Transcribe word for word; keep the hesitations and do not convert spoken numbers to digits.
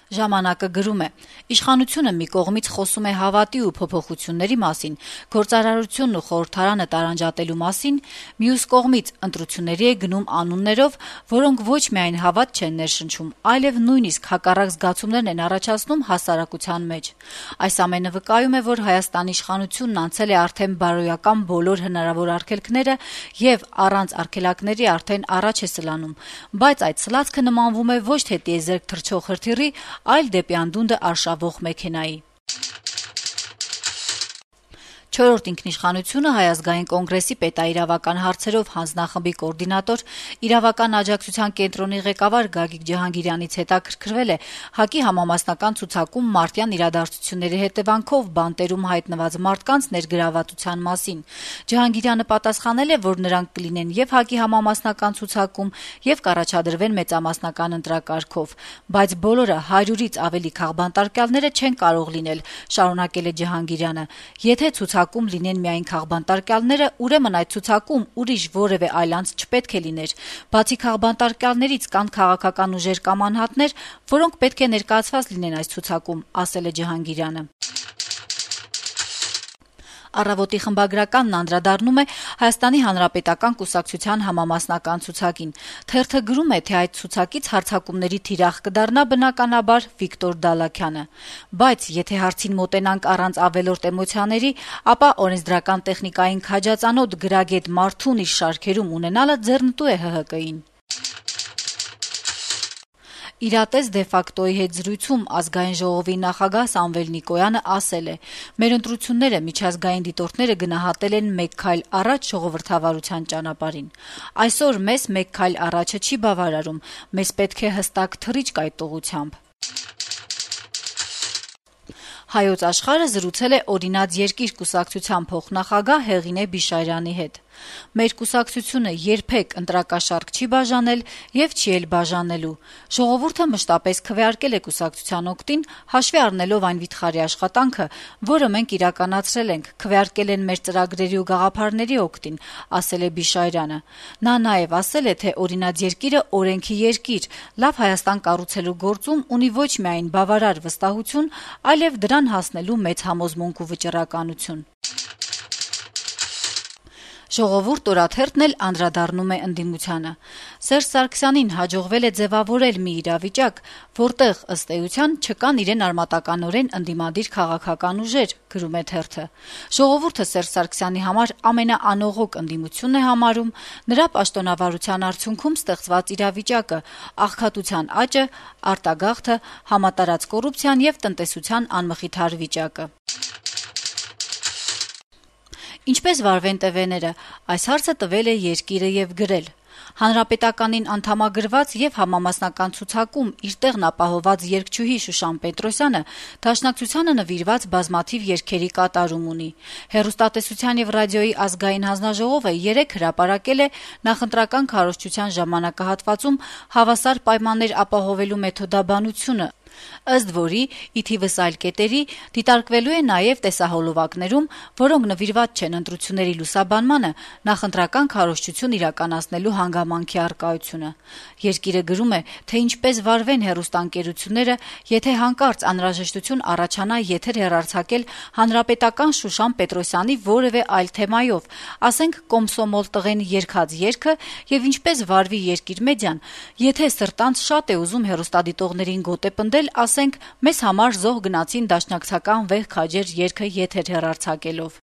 Ժամանակը գրում է. «Իշխանությունը մի կողմից խոսում է հավատի ու փոփոխությունների մասին, գործարարությունն ու խորհրդարանը տարանջատելու մասին, մյուս կողմից ընտրությունների է գնում անուններով, որոնք ոչ միայն հավատ չեն ներշնչում, այլև նույնիսկ հակառակ զգացումներն են առաջացնում հասարակության մեջ։ Այս ամենը վկայում է, որ Հայաստանի իշխանությունն անցել է արդեն բարոյական բոլոր հնարավոր արգելքները եւ առանց արգելակների արդեն առաջ է սլանում, բայց այդ սլացքը նմանվում է ոչ թե տիեզերք թռչող հրթիռի, այլ դեպի անդունդը արշավող մեքենայի»։ Չորրորդ ինքնիշխանությունը Հայ ազգային կոնգրեսի պետաիրավական հարցերով հանձնախմբի կոորդինատոր, իրավական աջակցության կենտրոնի ղեկավար Գագիկ Ջհանգիրյանից հետաքրքրվել է ՀԱԿ-ի համամասնական ցուցակում մարտյան իրադարձությունների հետեւանքով բանտերում հայտնված մարդկանց ներգրավվածության մասին։ Ջհանգիրյանը պատասխանել է, որ նրանք կլինեն եւ ՀԱԿ-ի համամասնական ցուցակում եւ կառաջադրվեն մեծամասնական ընտրակարգով, բայց բոլորը հարյուրից ավելի քաղբանտարկյալները չեն կարող լինել, շարունակել է Ջհանգիրյանը։ Եթե ցուցակում լինեն միայն քաղբանտարկյալները, ուրեմն այդ ցուցակում ուրիշ որևէ այլ անձ չպետք է լիներ։ Բացի քաղբանտարկյալներից կան քաղաքական ուժեր կամ անհատներ, որոնք պետք է ներկայացված լինեն այս ցուցակում, ասել է Ջհանգիրյանը։ Առավոտի խմբագրականն անդրադառնում է Հայաստանի Հանրապետական կուսակցության համամասնական ցուցակին։ Թերթը գրում է, թե այդ ցուցակից հարձակումների թիրախ կդառնա բնականաբար Վիկտոր Դալաքյանը։ Բայց եթե հարցին մոտենանք առանց ավելորդ էմոցիաների, ապա օրենսդրական տեխնիկային քաջածանոթ գրագետ Մարթուն իր շարքերում ունենալը ձեռնտու է ՀՀԿ-ին։ Իրատես դե ֆակտոյի հետ զրույցում Ազգային ժողովի նախագահ Սամվել Նիկոյանը ասել է. «Մեր ընտրությունները միջազգային դիտորդները գնահատել են մեկ քայլ առաջ ժողովրդավարության ճանապարհին։ Այսօր մեզ մեկ քայլ առաջը չի բավարարում, մեզ պետք է հստակ թռիչք այդ ուղղությամբ»։ Հայոց աշխարհը զրուցել է «Օրինաց երկիր» կուսակցության փոխնախագահ Հեղինե Բիշայրյանի հետ։ «Մեր կուսակցությունը երբեք ընտրակաշառք չի բաժանել եւ չի էլ բաժանելու։ Ժողովուրդը մշտապես քվեարկել է կուսակցության օգտին, հաշվի առնելով այն վիթխարի աշխատանքը, որը մենք իրականացրել ենք, քվեարկել են մեր ծրագրերի ու գաղափարների օգտին», ասել է Բիշայրյանը։ Նա նաեւ ասել է, թե «Օրինաց երկիրը օրենքի երկիր, լավ Հայաստան կառուցելու գործում ունի ոչ միայն բավարար վստահություն, այլև դրան հասնելու մեծ համոզմունք ու վճռականություն»։ «Ժողովուրդ» օրաթերթն էլ անդրադառնում է ընդդիմությանը։ Սերժ Սարգսյանին հաջողվել է ձևավորել մի իրավիճակ, որտեղ, ըստ էության, չկան իրեն արմատականորեն ընդդիմադիր քաղաքական ուժեր, գրում է թերթը։ «Ժողովուրդը Սերժ Սարգսյանի համար ամենաանողոք ընդդիմությունն է համարում, նրա պաշտոնավարության արդյունքում ստեղծված իրավիճակը, աղքատության աճը, արտագաղթը, համատարած կոռուպցիան եւ տնտեսության անմխիթար վիճակը»։ Ինչպես վարվեն տվեները, այս հարցը տվել է «Երկիրը» եւ գրել. «Հանրապետականին անդամագրված եւ համամասնական ցուցակում իր տեղն ապահովված երգչուհի Շուշան Պետրոսյանը Դաշնակցությանը նվիրված բազմաթիվ երգերի կատարում ունի։ Հեռուստատեսության եւ ռադիոյի ազգային հանձնաժողովը երեկ հրապարակել է նախընտրական քարոզչության ժամանակահատվածում հավասար պայմաններ ապահովելու մեթոդաբանությունը, ըստ որի, ի թիվս այլ կետերի, դիտարկվելու է նաեւ տեսահոլովակներում, որոնք նվիրված չեն ընտրությունների լուսաբանմանը, նախընտրական քարոզչություն իրականացնելու հանգամանքի առկայությունը։ Երկիրը գրում է, թե ինչպես վարվեն հեռուստաընկերությունները, եթե հանկարծ անհրաժեշտություն առաջանա եթեր հեռարձակել հանրապետական Շուշան Պետրոսյանի որևէ այլ թեմայով, ասենք Կոմսոմոլ տղեն երգած երգը, եւ ինչպես վարվի Երկիր մեդիան, եթե սրտանց շատ է ուզում հեռուստադիտողներին գոտեպնդել, ասենք, մեզ համար զոհ գնացին դաշնակցական վեհ քաջեր երգը եթեր հեռարձակելով։